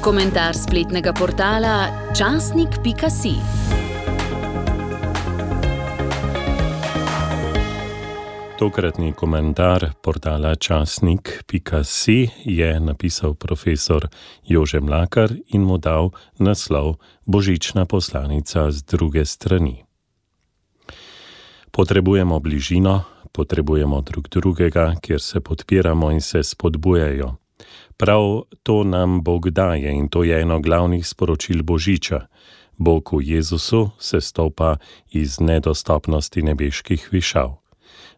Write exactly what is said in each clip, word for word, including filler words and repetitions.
Komentar spletnega portala časnik pika si. Tokratni komentar portala časnik pika si je napisal profesor Jože Mlakar in mu dal naslov Božična poslanica z druge strani. Potrebujemo bližino, potrebujemo drug drugega, kjer se podpiramo in se spodbujajo. Prav to nam Bog daje in to je eno glavnih sporočil Božiča. Bog v Jezusu se stopa iz nedostopnosti nebeških višav.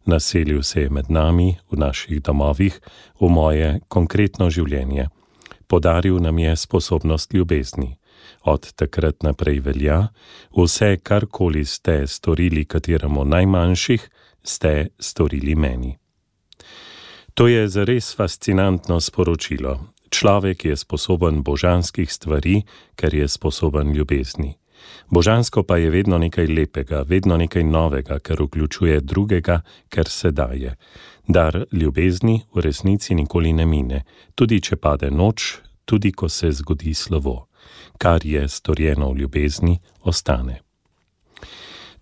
Naselil se je med nami, v naših domovih, v moje konkretno življenje. Podaril nam je sposobnost ljubezni. Od takrat naprej velja, vse, karkoli ste storili kateremu najmanjših, ste storili meni. To je zares fascinantno sporočilo. Človek je sposoben božanskih stvari, ker je sposoben ljubezni. Božansko pa je vedno nekaj lepega, vedno nekaj novega, ker vključuje drugega, ker se daje. Dar ljubezni v resnici nikoli ne mine, tudi če pade noč, tudi ko se zgodi slovo. Kar je storjeno v ljubezni, ostane.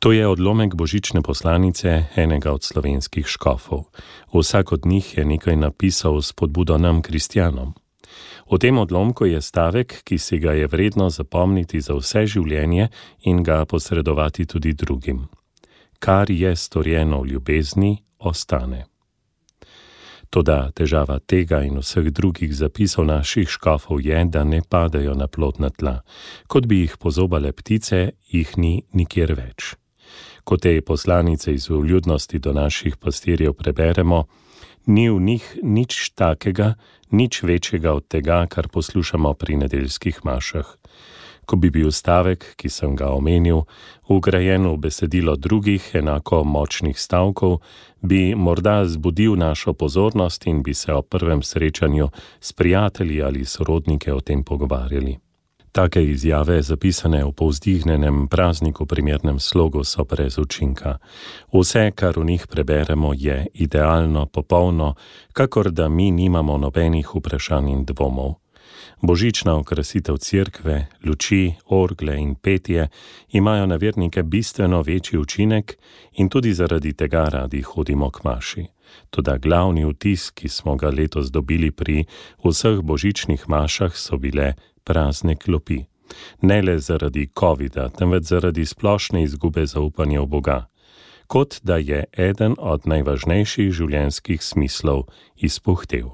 To je odlomek božične poslanice enega od slovenskih škofov. Vsak od njih je nekaj napisal s spodbudo nam, kristjanom. V tem odlomku je stavek, ki si ga je vredno zapomniti za vse življenje in ga posredovati tudi drugim. Kar je storjeno v ljubezni, ostane. Toda težava tega in vseh drugih zapisov naših škofov je, da ne padajo na plodna tla. Kot bi jih pozobale ptice, jih ni nikjer več. Ko te poslanice iz vljudnosti do naših pastirjev preberemo, ni v njih nič takega, nič večjega od tega, kar poslušamo pri nedeljskih mašah. Ko bi bil stavek, ki sem ga omenil, vgrajen v besedilo drugih enako močnih stavkov, bi morda zbudil našo pozornost in bi se o prvem srečanju s prijatelji ali sorodnike o tem pogovarjali. Take izjave, zapisane v povzdihnjenem prazniku primernem slogu, so brez učinka. Vse, kar v njih preberemo, je idealno, popolno, kakor da mi nimamo nobenih vprašanj in dvomov. Božična okrasitev cerkve, luči, orgle in petje imajo na vernike bistveno večji učinek in tudi zaradi tega radi hodimo k maši. Toda glavni vtis, ki smo ga letos dobili pri vseh božičnih mašah, so bile prazne klopi. Ne le zaradi covida, temveč zaradi splošne izgube zaupanja v Boga. Kot da je eden od najvažnejših življenjskih smislov izpuhtel.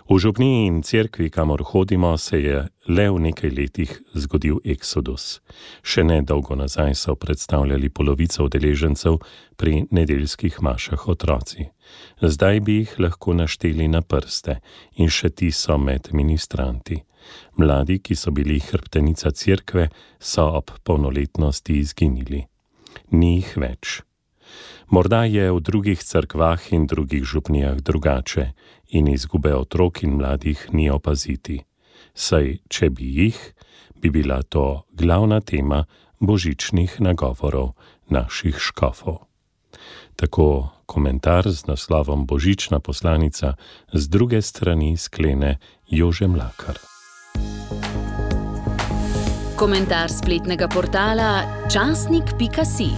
V župniji in cerkvi, kamor hodimo, se je le v nekaj letih zgodil eksodus. Še ne dolgo nazaj so predstavljali polovico udeležencev pri nedeljskih mašah otroci. Zdaj bi jih lahko našteli na prste in še ti so med ministranti. Mladi, ki so bili hrbtenica cerkve, so ob polnoletnosti izginili. Ni jih več. Morda je v drugih cerkvah in drugih župnijah drugače in izgube otrok in mladih ni opaziti. Saj, če bi jih, bi bila to glavna tema božičnih nagovorov naših škofov. Tako komentar z naslovom Božična poslanica z druge strani sklene Jože Mlakar. Komentar spletnega portala časnik pika si.